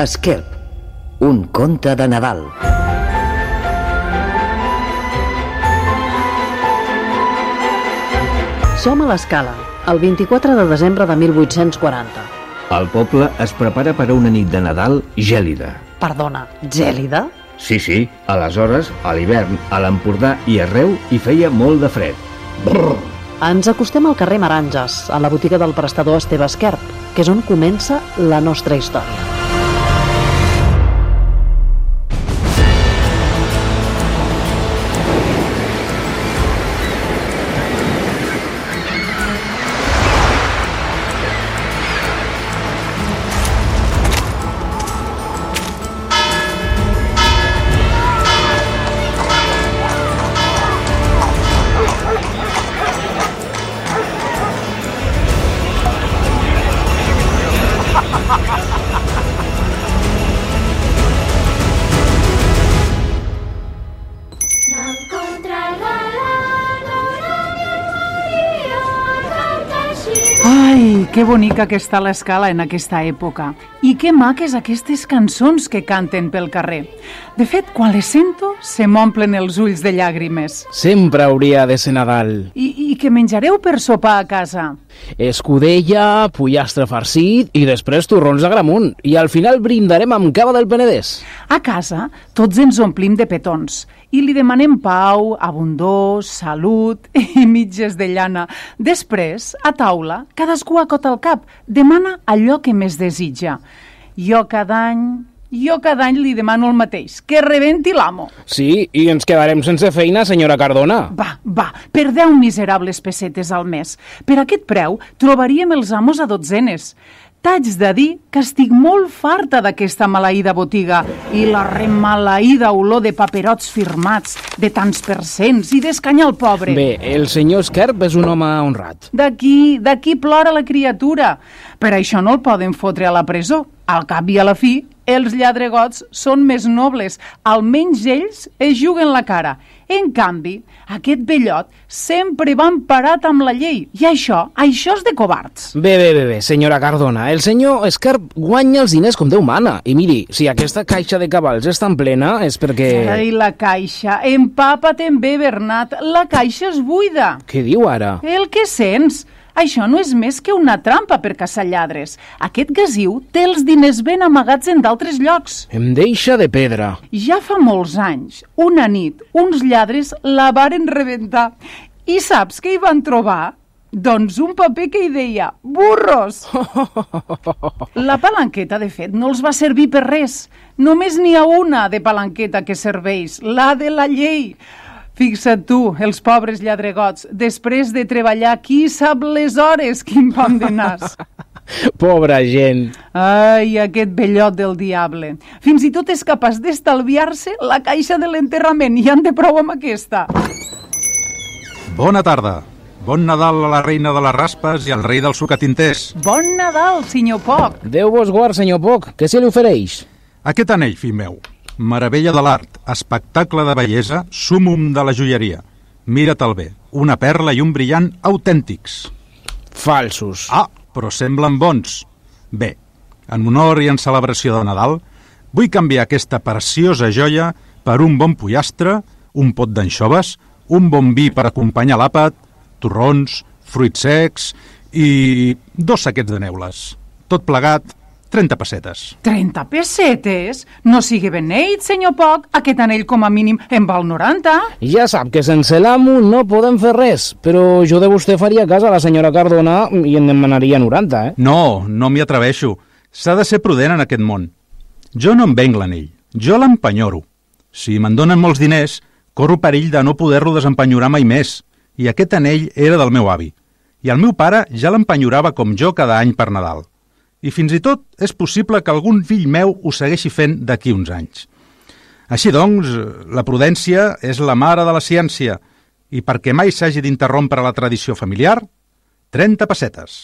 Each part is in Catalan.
Esquerp, un conte de Nadal. Som a l'Escala, el 24 de desembre de 1840. El poble es prepara per a una nit de Nadal gèlida. Perdona, gèlida? Sí. Aleshores, a l'hivern, a l'Empordà i arreu hi feia molt de fred. Brrr. Ens acostem al carrer Maranges, a la botiga del prestador Esteve Esquerp, que és on comença la nostra història. Ai, que bonica que està l'Escala en aquesta època. I que maques aquestes cançons que canten pel carrer. De fet, quan les sento, se m'omplen els ulls de llàgrimes. Sempre hauria de ser Nadal. I què menjareu per sopar a casa? Escudella, pollastre farcit i després torrons d'Agramunt. I al final brindarem amb cava del Penedès. A casa, tots ens omplim de petons i li demanem pau, abundor, salut i mitges de llana. Després, a taula, cadascú acota el cap, demana allò que més desitja. Jo cada any li demano el mateix, que rebenti l'amo. Sí, i ens quedarem sense feina, senyora Cardona. Va, per 10 miserables pessetes al mes. Per aquest preu trobaríem els amos a dotzenes. T'haig de dir que estic molt farta d'aquesta maleïda botiga i la remaleïda olor de paperots firmats, de tants percents i d'escanyar el pobre. Bé, el senyor Esquerp és un home honrat. D'aquí plora la criatura. Per això no el poden fotre a la presó. Al cap i a la fi, els lladregots són més nobles. Almenys ells es juguen la cara. En canvi, aquest vellot sempre va emparat amb la llei. I això és de covards. Bé, senyora Cardona. El senyor Esquerp guanya els diners com Déu mana. I miri, si aquesta caixa de cavalls és tan plena és perquè... Ai, la caixa. Empapa't bé, Bernat. La caixa és buida. Què diu ara? El que sents? Això no és més que una trampa per caçar lladres. Aquest gasiu té els diners ben amagats en d'altres llocs. Em deixa de pedra. Ja fa molts anys, una nit, uns lladres la varen rebentar. I saps què hi van trobar? Doncs un paper que hi deia burros. La palanqueta, de fet, no els va servir per res. Només n'hi ha una de palanqueta que serveix, la de la llei. Fixa't tu, els pobres lladregots, després de treballar qui sap les hores, quin pam de nas. Pobra gent. Ai, aquest vellot del diable. Fins i tot és capaç d'estalviar-se la caixa de l'enterrament i en té prou amb aquesta. Bona tarda. Bon Nadal a la reina de les raspes i al rei dels sucatinters. Bon Nadal, senyor Poc. Déu vos guard, senyor Poc. Què se li ofereix? Aquest anell, fill meu. Meravella de l'art, espectacle de bellesa, súmum de la joieria. Mira-te'l bé, una perla i un brillant autèntics. Falsos. Ah, però semblen bons. Bé, en honor i en celebració de Nadal, vull canviar aquesta preciosa joia per un bon pollastre, un pot d'anxoves, un bon vi per acompanyar l'àpat, torrons, fruits secs i 2 saquets de neules. Tot plegat, 30 pessetes. 30 pessetes? No sigui beneit, senyor Poc. Aquest anell com a mínim en val 90. Ja sap que sense l'amo no podem fer res, però jo de vostè faria cas a la senyora Cardona i en demanaria 90, eh? No m'hi atreveixo. S'ha de ser prudent en aquest món. Jo no em venc l'anell, jo l'empenyoro. Si me'n donen molts diners, corro perill de no poder-lo desempenyorar mai més. I aquest anell era del meu avi. I el meu pare ja l'empenyorava com jo cada any per Nadal. I fins i tot és possible que algun fill meu ho segueixi fent d'aquí uns anys. Així doncs, la prudència és la mare de la ciència i perquè mai s'hagi d'interrompre la tradició familiar, 30 pessetes.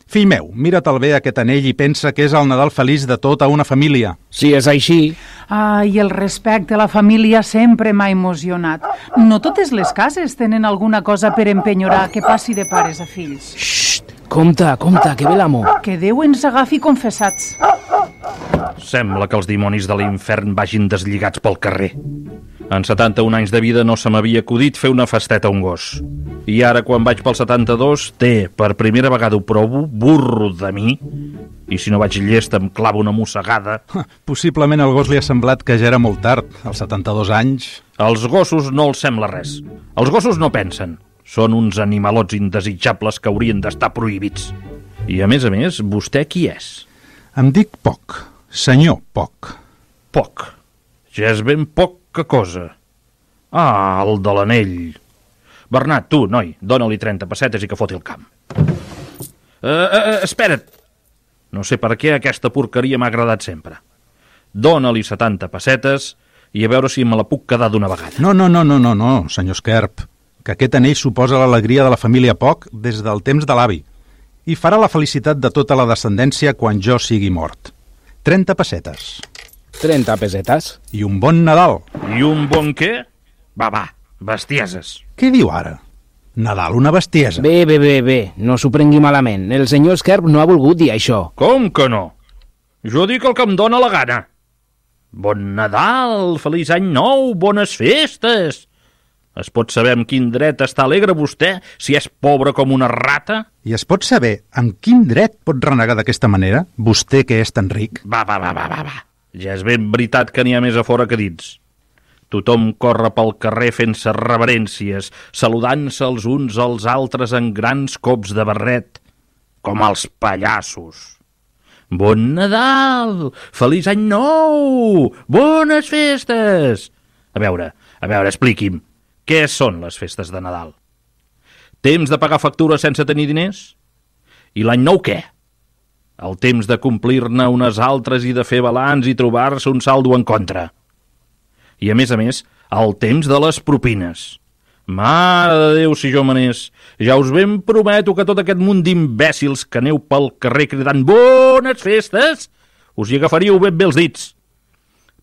Fill meu, mira-te'l bé aquest anell i pensa que és el Nadal feliç de tota una família. Si és així... Ai, el respecte a la família sempre m'ha emocionat. No totes les cases tenen alguna cosa per empenyorar que passi de pares a fills. Xxt! Compte, que ve l'amo. Que Déu ens agafi confessats. Sembla que els dimonis de l'infern vagin deslligats pel carrer. En 71 anys de vida no se m'havia acudit fer una festeta a un gos. I ara, quan vaig pel 72, per primera vegada ho provo, burro de mi, i si no vaig llest em clavo una mossegada. Possiblement al gos li ha semblat que ja era molt tard, als 72 anys. Als gossos no els sembla res. Els gossos no pensen. Són uns animalots indesitjables que haurien d'estar prohibits. I a més, vostè qui és? Em dic Poc, senyor Poc. Poc. Ja és ben poca cosa. Ah, el de l'anell. Bernat, tu, noi, dóna-li 30 pessetes i que foti el camp. Espera't. No sé per què aquesta porqueria m'ha agradat sempre. Dóna-li 70 pessetes i a veure si me la puc quedar d'una vegada. No, senyor Esquerp, que aquest anell suposa l'alegria de la família Poc des del temps de l'avi i farà la felicitat de tota la descendència quan jo sigui mort. 30 pessetes. 30 pessetes? I un bon Nadal. I un bon què? Va, bestieses. Què diu ara? Nadal, una bestiesa. Bé, no s'ho prengui malament. El senyor Esquerp no ha volgut dir això. Com que no? Jo dic el que em dóna la gana. Bon Nadal, feliç any nou, bones festes. Es pot saber amb quin dret està alegre vostè, si és pobre com una rata? I es pot saber amb quin dret pot renegar d'aquesta manera, vostè que és tan ric? Va. Ja és ben veritat que n'hi ha més a fora que dins. Tothom corre pel carrer fent-se reverències, saludant-se els uns als altres en grans cops de barret, com els pallassos. Bon Nadal! Feliç any nou! Bones festes! A veure, expliqui'm. Què són les festes de Nadal? Temps de pagar factures sense tenir diners? I l'any nou què? El temps de complir-ne unes altres i de fer balanç i trobar-se un saldo en contra. I a més, el temps de les propines. Mare de Déu, si jo manés, ja us ben prometo que tot aquest munt d'imbècils que aneu pel carrer cridant bones festes, us hi agafaríeu ben bé els dits.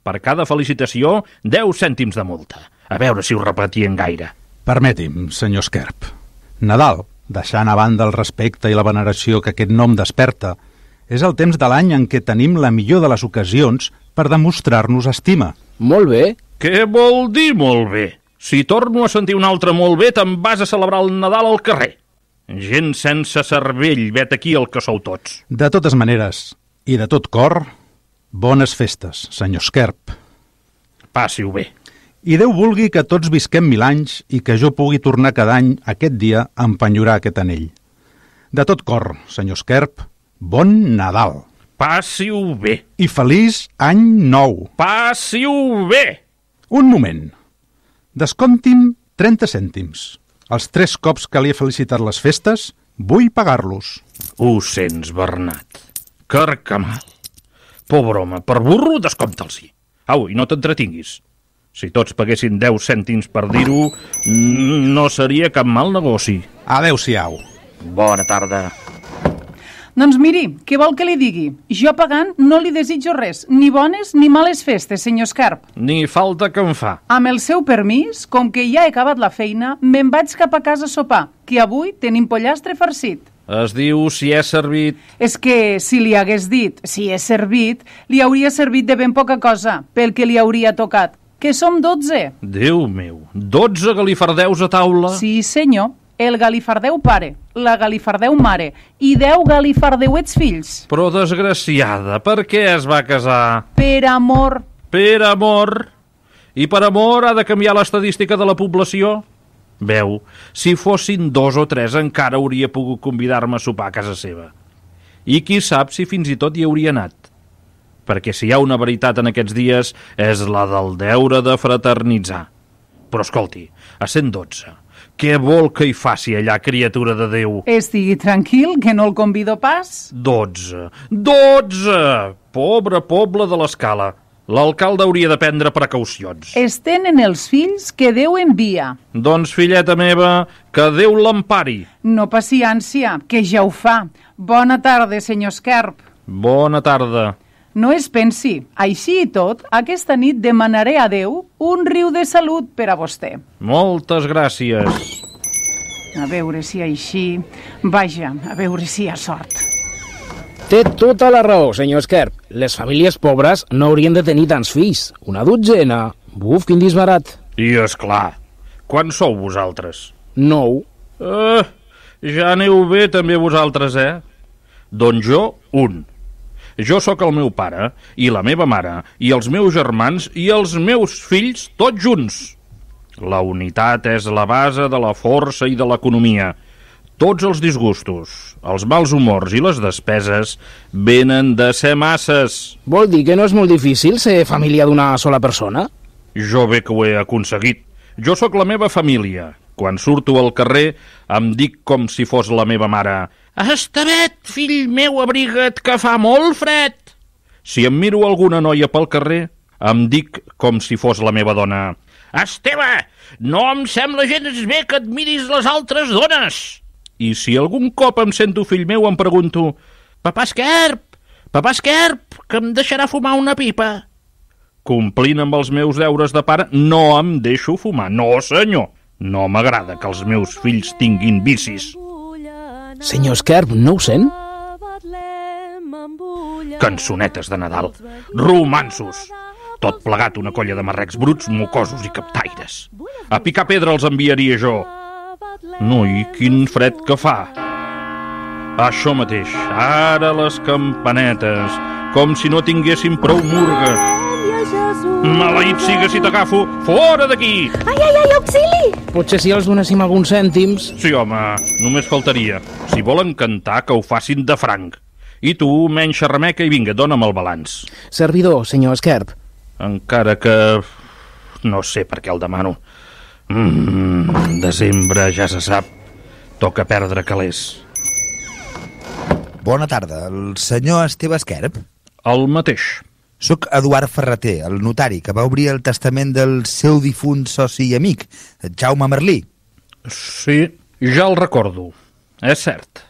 Per cada felicitació, 10 cèntims de multa. A veure si ho repetien gaire. Permeti'm, senyor Esquerp. Nadal, deixant a banda el respecte i la veneració que aquest nom desperta, és el temps de l'any en què tenim la millor de les ocasions per demostrar-nos estima. Molt bé. Què vol dir molt bé? Si torno a sentir un altre molt bé, te'n vas a celebrar el Nadal al carrer. Gent sense cervell, vet aquí el que sou tots. De totes maneres, i de tot cor, bones festes, senyor Esquerp. Passi-ho bé. I Déu vulgui que tots visquem 1000 anys i que jo pugui tornar cada any aquest dia a empenyorar aquest anell. De tot cor, senyor Esquerp, bon Nadal. Passi-ho bé. I feliç any nou. Passi-ho bé. Un moment. Descompti'm 30 cèntims. Els 3 cops que li he felicitat les festes, vull pagar-los. Ho sents, Bernat. Carcamal. Pobre home, per burro, descompta'ls-hi. Au, i no t'entretinguis. Si tots paguessin 10 cèntims per dir-ho, no seria cap mal negoci. Adéu-siau. Bona tarda. Doncs miri, què vol que li digui? Jo pagant no li desitjo res, ni bones ni males festes, senyor Esquerp. Ni falta que em fa. Amb el seu permís, com que ja he acabat la feina, me'n vaig cap a casa a sopar, que avui tenim pollastre farcit. Es diu si he servit... És que si li hagués dit si he servit, li hauria servit de ben poca cosa, pel que li hauria tocat, que som 12. Déu meu, 12 galifardeus a taula? Sí, senyor. El galifardeu pare, la galifardeu mare i 10 galifardeuets fills. Però, desgraciada, per què es va casar? Per amor. Per amor? I per amor ha de canviar l'estadística de la població? Veu, si fossin 2 o 3 encara hauria pogut convidar-me a sopar a casa seva. I qui sap si fins i tot hi hauria anat. Perquè si hi ha una veritat en aquests dies és la del deure de fraternitzar. Però escolti, a 112... Què vol que hi faci allà, criatura de Déu? Estigui tranquil, que no el convido pas. 12! 12! Pobre poble de l'Escala. L'alcalde hauria de prendre precaucions. Es tenen els fills que Déu envia. Doncs, filleta meva, que Déu l'empari. No passi ànsia, que ja ho fa. Bona tarda, senyor Esquerp. Bona tarda. No es pensi, així i tot, aquesta nit demanaré a Déu un riu de salut per a vostè. Moltes gràcies. A veure si així... Vaja, a veure si hi ha sort. Té tota la raó, senyor Esquerp. Les famílies pobres no haurien de tenir tants fills. Una dotzena. Buf, quin disbarat. I, és clar, quants sou vosaltres? 9. Ja aneu bé també vosaltres, Doncs jo, 1. Jo sóc el meu pare, i la meva mare, i els meus germans, i els meus fills, tots junts. La unitat és la base de la força i de l'economia. Tots els disgustos, els mals humors i les despeses venen de ser masses. Vol dir que no és molt difícil ser família d'una sola persona? Jo bé que ho he aconseguit. Jo sóc la meva família. Quan surto al carrer em dic com si fos la meva mare. Estevet, fill meu, abriga't, que fa molt fred. Si em miro alguna noia pel carrer, em dic com si fos la meva dona. Esteve, no em sembla gens bé que et miris les altres dones. I si algun cop em sento fill meu em pregunto: Papà Esquerp, que em deixarà fumar una pipa? Complint amb els meus deures de pare, no em deixo fumar. No, senyor. No m'agrada que els meus fills tinguin vicis. Senyor Esquerp, no ho sent? Cançonetes de Nadal, romanços, tot plegat una colla de marrecs bruts, mocosos i captaires. A picar pedra els enviaria jo. Noi, quin fred que fa. Això mateix, ara les campanetes, com si no tinguéssim prou murga. Maleït siga si t'agafo, fora d'aquí! Ai, auxili! Potser si els donéssim alguns cèntims... Sí, home, només faltaria. Si volen cantar, que ho facin de franc. I tu, menys xerrameca i vinga, dona'm el balanç. Servidor, senyor Esquerp. Encara que... no sé per què el demano. Desembre, ja se sap. Toca perdre calés. Bona tarda, el senyor Esteve Esquerp? El mateix. Soc Eduard Ferreter, el notari, que va obrir el testament del seu difunt soci i amic, Jaume Merlí. Sí, ja el recordo. És cert.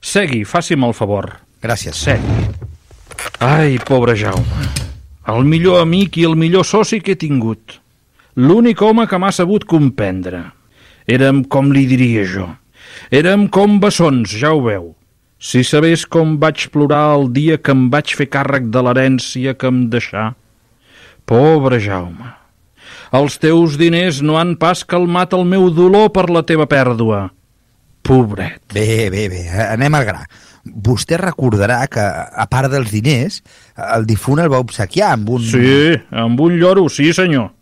Segui, faci'm el favor. Gràcies. Segui. Ai, pobre Jaume. El millor amic i el millor soci que he tingut. L'únic home que m'ha sabut comprendre. Érem, com li diria jo, érem com bessons, ja ho veu. Si sabés com vaig plorar el dia que em vaig fer càrrec de l'herència que em deixà. Pobre Jaume, els teus diners no han pas calmat el meu dolor per la teva pèrdua. Pobret. Bé, anem al gra. Vostè recordarà que, a part dels diners, el difunt el va obsequiar amb un... Sí, amb un lloro, sí senyor.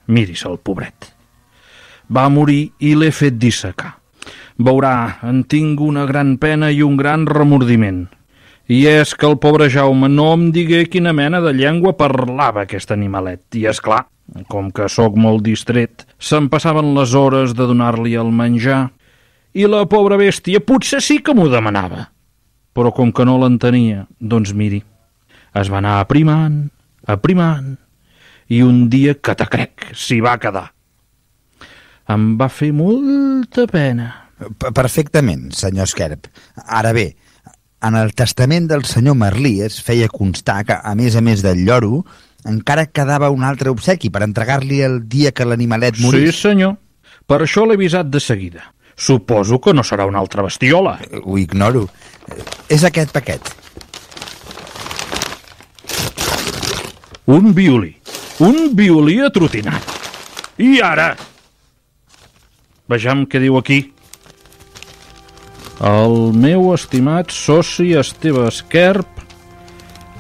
Miris el pobret. Va morir i l'he fet dissecar. Veurà, en tinc una gran pena i un gran remordiment. I és que el pobre Jaume no em digué quina mena de llengua parlava aquest animalet. I és clar, com que sóc molt distret, se'm passaven les hores de donar-li el menjar i la pobra bèstia potser sí que m'ho demanava. Però com que no l'entenia, doncs miri, es va anar aprimant, i un dia que te crec s'hi va quedar. Em va fer molta pena. Perfectament, senyor Esquerp. Ara bé, en el testament del senyor Merlí es feia constar que, a més del lloro, encara quedava un altre obsequi per entregar-li el dia que l'animalet morís. Sí, senyor. Per això l'he avisat de seguida. Suposo que no serà una altra bestiola. Ho ignoro. És aquest paquet. Un violí atrotinat. I ara? Vejam què diu aquí. El meu estimat soci Esteve Esquerp,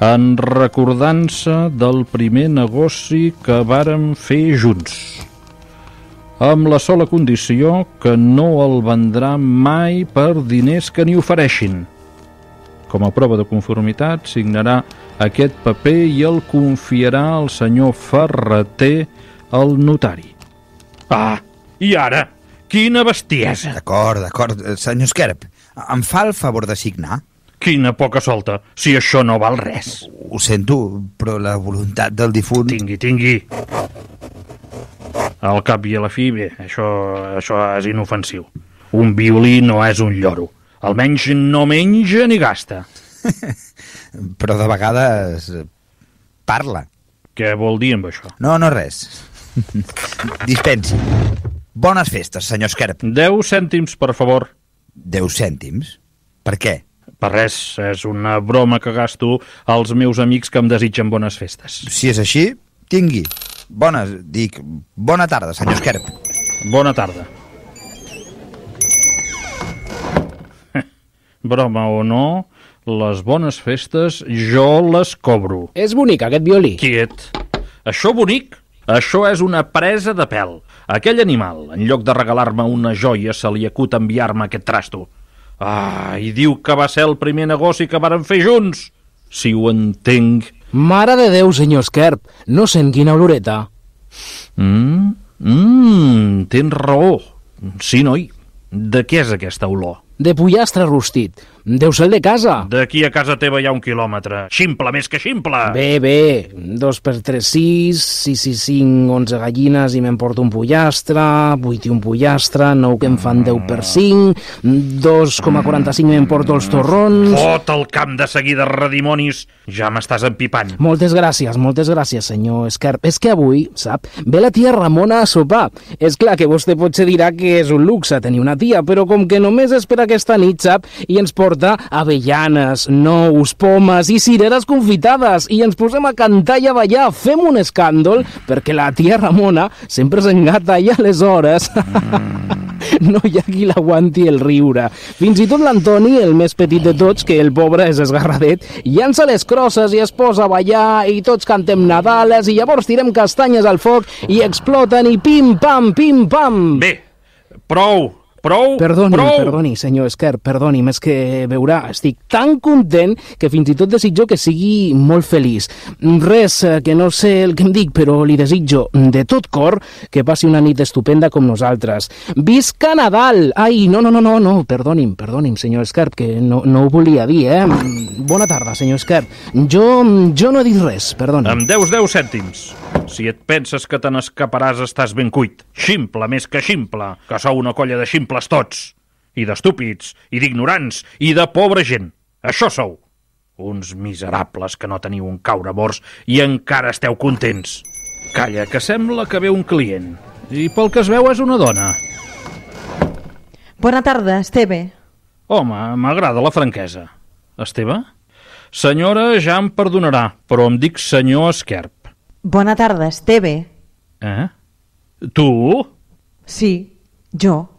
en recordança del primer negoci que vàrem fer junts, amb la sola condició que no el vendrà mai per diners que n'hi ofereixin. Com a prova de conformitat, signarà aquest paper i el confiarà al senyor Ferreter, el notari. Ah, i ara? Quina bestiesa! D'acord. Senyor Esquerp, em fa el favor de signar? Quina poca solta, si això no val res. Ho sento, però la voluntat del difunt... Tingui. Al cap i a la fi, bé, això és inofensiu. Un violí no és un lloro. Almenys no menja ni gasta. Però de vegades parla. Què vol dir amb això? No, res. Dispensi. Bones festes, senyor Esquerp. 10 cèntims, per favor. 10 cèntims? Per què? Per res, és una broma que gasto als meus amics que em desitgen bones festes. Si és així, tingui. Bona tarda, senyor Esquerp. Bona tarda. Broma o no, les bones festes jo les cobro. És bonic, aquest violí. Quiet. Això bonic? Això és una presa de pèl. Aquell animal, en lloc de regalar-me una joia, se li acut enviar-me aquest trasto. I diu que va ser el primer negoci que varen fer junts. Si ho entenc. Mare de Déu, senyor Esquerp, no sent quina oloreta. Tens raó. Sí, noi. De què és aquesta olor? De pollastre rostit. Deu ser el de casa. D'aquí a casa teva hi ha 1 quilòmetre. Ximple més que ximple. Bé. 2 per 3, 6, 6 i 5, 11 gallines i me'n porto un pollastre, 8 i un pollastre, 9 que em fan 10 per 5, 2,45 me'n porto els torrons... Fot el camp de seguida, redimonis. Ja m'estàs empipant. Moltes gràcies, senyor Esquerp. És que avui, sap, ve la tia Ramona a sopar. És clar que vostè potser dirà que és un luxe tenir una tia, però com que només espera aquesta nit, sap, i ens porta avellanes, nous, pomes i cireres confitades i ens posem a cantar i a ballar, fem un escàndol perquè la tia Ramona sempre s'engata i aleshores no hi ha qui l'aguanti el riure. Fins i tot l'Antoni, el més petit de tots, que el pobre és esgarradet, llança les crosses i es posa a ballar i tots cantem Nadales i llavors tirem castanyes al foc i exploten i pim-pam, pim-pam. Bé, prou. Perdoni, senyor Esquerp, perdoni'm, és que veurà, estic tan content que fins i tot desitjo que sigui molt feliç. Res, que no sé el que em dic, però li desitjo de tot cor que passi una nit estupenda com nosaltres. Visca Nadal! Ai, no, perdoni'm, senyor Esquerp, que no ho volia dir, Bona tarda, senyor Esquerp. Jo no he dit res, perdoni. Em deus 10 cèntims. Si et penses que te n'escaparàs, estàs ben cuit. Ximple més que ximple, que sou una colla de ximples tots. I d'estúpids, i d'ignorants, i de pobra gent. Això sou. Uns miserables que no teniu un caure morts i encara esteu contents. Calla, que sembla que ve un client. I pel que es veu és una dona. Bona tarda, Esteve. Home, m'agrada la franquesa. Esteve? Senyora, ja em perdonarà, però em dic senyor Esquerp. Bona tarda, Esteve. Tu? Sí, jo.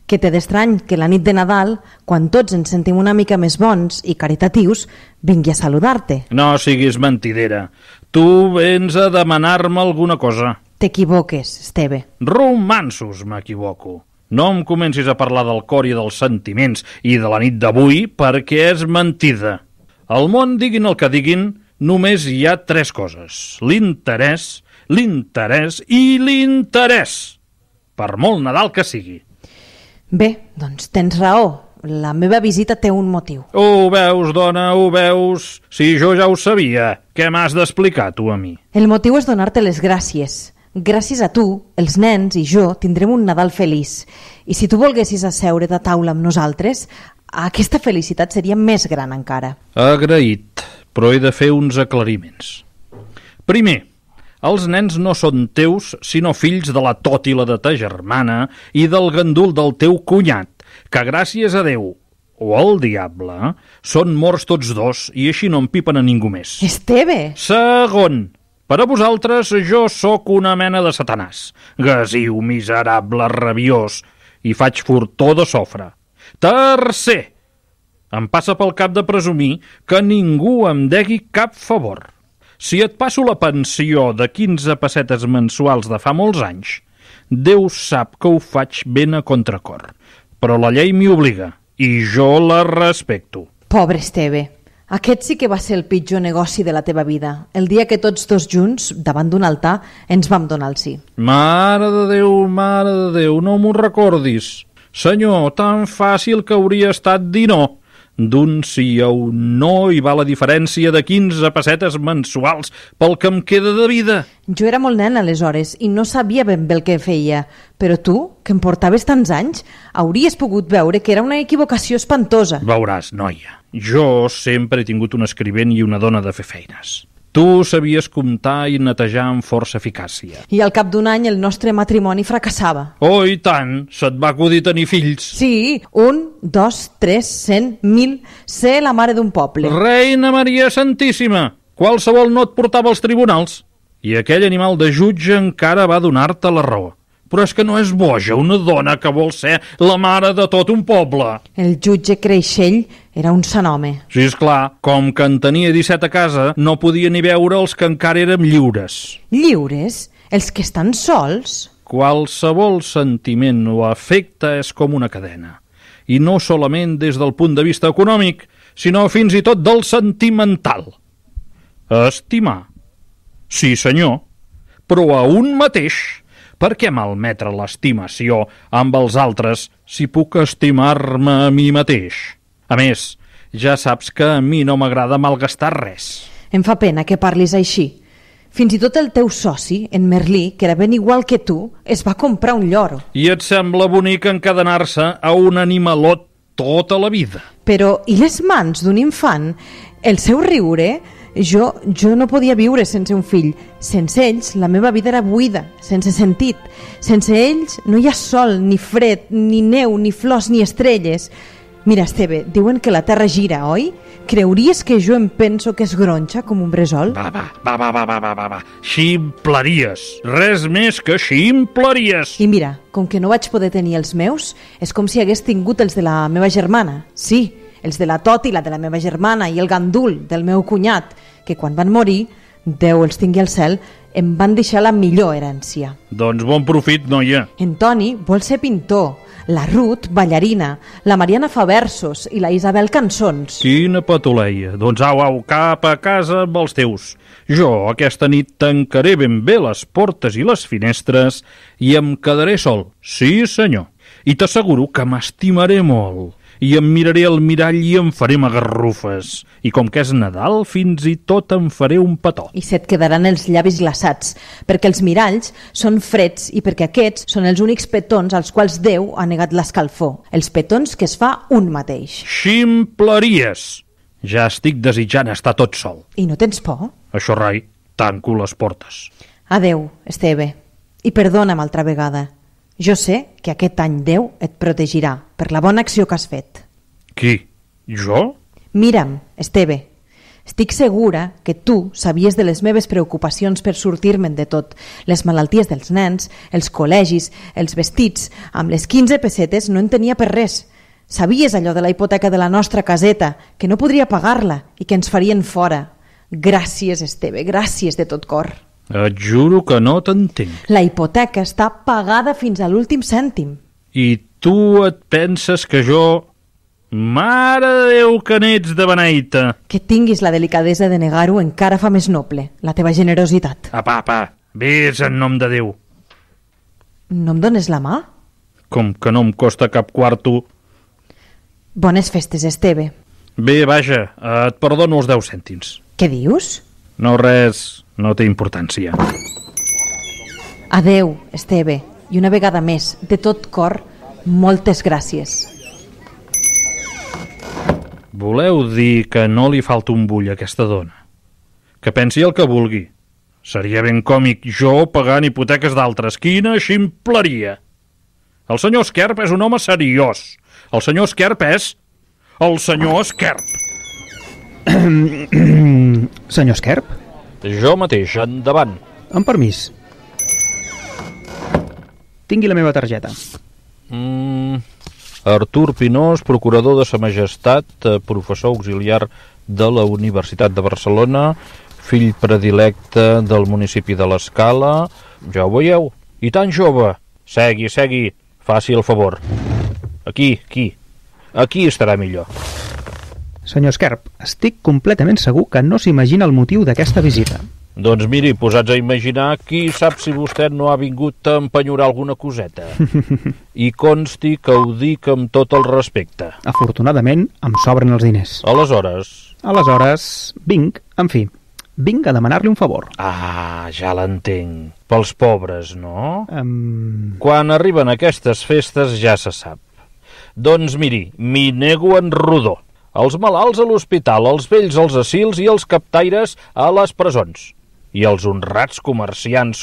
Que té d'estrany que la nit de Nadal, quan tots ens sentim una mica més bons i caritatius, vingui a saludar-te. No siguis mentidera. Tu vens a demanar-me alguna cosa. T'equivoques, Esteve. Romansos, m'equivoco. No em comencis a parlar del cor i dels sentiments i de la nit d'avui perquè és mentida. Al món, diguin el que diguin, només hi ha 3 coses. L'interès i l'interès. Per molt Nadal que sigui. Bé, doncs tens raó. La meva visita té un motiu. Ho veus, dona, ho veus? Si jo ja ho sabia. Què m'has d'explicar, tu, a mi? El motiu és donar-te les gràcies. Gràcies a tu, els nens i jo tindrem un Nadal feliç. I si tu volguessis asseure't a taula amb nosaltres, aquesta felicitat seria més gran encara. Agraït, però he de fer uns aclariments. Primer, els nens no són teus, sinó fills de la tòtila de ta germana i del gandul del teu cunyat, que gràcies a Déu o al diable són morts tots dos i així no empipen a ningú més. Esteve! Segon, per a vosaltres jo sóc una mena de satanàs, gasiu, miserable, rabiós, i faig fortó de sofre. Tercer, em passa pel cap de presumir que ningú em degui cap favor. Si et passo la pensió de 15 pessetes mensuals de fa molts anys, Déu sap que ho faig ben a contracor. Però la llei m'hi obliga, i jo la respecto. Pobre Esteve, aquest sí que va ser el pitjor negoci de la teva vida, el dia que tots dos junts, davant d'un altar, ens vam donar el sí. Mare de Déu, no m'ho recordis. Senyor, tan fàcil que hauria estat dir no. D'un sí a un no hi va la diferència de 15 pessetes mensuals pel que em queda de vida. Jo era molt nen aleshores i no sabia ben bé el que feia, però tu, que em portaves tants anys, hauries pogut veure que era una equivocació espantosa. Veuràs, noia, jo sempre he tingut un escrivent i una dona de fer feines. Tu sabies comptar i netejar amb força eficàcia. I al cap d'un any el nostre matrimoni fracassava. Oh, i tant! Se't va acudir tenir fills. Sí, 1, 2, 3, 100, 1.000... Ser la mare d'un poble. Reina Maria Santíssima! Qualsevol no et portava als tribunals. I aquell animal de jutge encara va donar-te la raó. Però és que no és boja una dona que vol ser la mare de tot un poble. El jutge Creixell era un sant home. Sí, esclar, com que en tenia 17 a casa, no podia ni veure els que encara érem lliures. Lliures? Els que estan sols? Qualsevol sentiment o afecte és com una cadena. I no solament des del punt de vista econòmic, sinó fins i tot del sentimental. Estimar. Sí, senyor, però a un mateix. Per què malmetre l'estimació amb els altres si puc estimar-me a mi mateix? A més, ja saps que a mi no m'agrada malgastar res. Em fa pena que parlis així. Fins i tot el teu soci, en Merlí, que era ben igual que tu, es va comprar un lloro. I et sembla bonic encadenar-se a un animalot tota la vida? Però, i les mans d'un infant? El seu riure? Jo no podia viure sense un fill. Sense ells, la meva vida era buida, sense sentit. Sense ells no hi ha sol, ni fred, ni neu, ni flors, ni estrelles. Mira, Esteve, diuen que la terra gira, oi? Creuries que jo em penso que és gronxa com un bressol? Va. Ximpleries. Res més que ximpleries. I mira, com que no vaig poder tenir els meus, és com si hagués tingut els de la meva germana. Sí, els de la Toti, la de la meva germana, i el gandul del meu cunyat, que quan van morir, Déu els tingui al cel, em van deixar la millor herència. Doncs bon profit, noia. En Toni vol ser pintor, la Ruth ballarina, la Mariana fa versos i la Isabel cançons. Quina patuleia. Doncs au, cap a casa amb els teus. Jo aquesta nit tancaré ben bé les portes i les finestres i em quedaré sol. Sí, senyor. I t'asseguro que m'estimaré molt. I em miraré al mirall i em faré magarrufes. I com que és Nadal, fins i tot em faré un petó. I se't quedaran els llavis glaçats, perquè els miralls són freds i perquè aquests són els únics petons als quals Déu ha negat l'escalfor. Els petons que es fa un mateix. Ximpleries! Ja estic desitjant estar tot sol. I no tens por? Això rai, tanco les portes. Adeu, Esteve. I perdona'm altra vegada. Jo sé que aquest any Déu et protegirà per la bona acció que has fet. Qui? Jo? Mira'm, Esteve, estic segura que tu sabies de les meves preocupacions per sortir-me'n de tot. Les malalties dels nens, els col·legis, els vestits. Amb les 15 pessetes no en tenia per res. Sabies allò de la hipoteca de la nostra caseta, que no podria pagar-la i que ens farien fora. Gràcies, Esteve, gràcies de tot cor. Et juro que no t'entenc. La hipoteca està pagada fins a l'últim cèntim. I tu et penses que jo... Mare de Déu, que n'ets de beneita! Que tinguis la delicadesa de negar-ho encara fa més noble, la teva generositat. Apa, vés en nom de Déu. No em dones la mà? Com que no em costa cap quarto. Bones festes, Esteve. Bé, vaja, et perdono els 10 cèntims. Què dius? No, res, no té importància. Adeu, Esteve, i una vegada més, de tot cor, moltes gràcies. Voleu dir que no li falta un bull a aquesta dona? Que pensi el que vulgui. Seria ben còmic jo pagant hipoteques d'altres. Quina ximpleria! El senyor Esquerp és un home seriós. El senyor Esquerp és... el senyor Esquerp. Senyor Esquerp? Jo mateix, endavant. Amb permís. Tingui la meva targeta. Artur Pinós, procurador de Sa Majestat, professor auxiliar de la Universitat de Barcelona, fill predilecte del municipi de l'Escala. Ja ho veieu? I tan jove. Segui, faci el favor. Aquí estarà millor. Senyor Esquerp, estic completament segur que no s'imagina el motiu d'aquesta visita. Doncs miri, posats a imaginar, qui sap si vostè no ha vingut a empenyorar alguna coseta. I consti que ho dic amb tot el respecte. Afortunadament, em sobren els diners. Aleshores, vinc a demanar-li un favor. Ah, ja l'entenc. Pels pobres, no? Quan arriben aquestes festes ja se sap. Doncs miri, m'hi nego en rodó. els malalts a l'hospital, els vells als asils i els captaires a les presons. I els honrats comerciants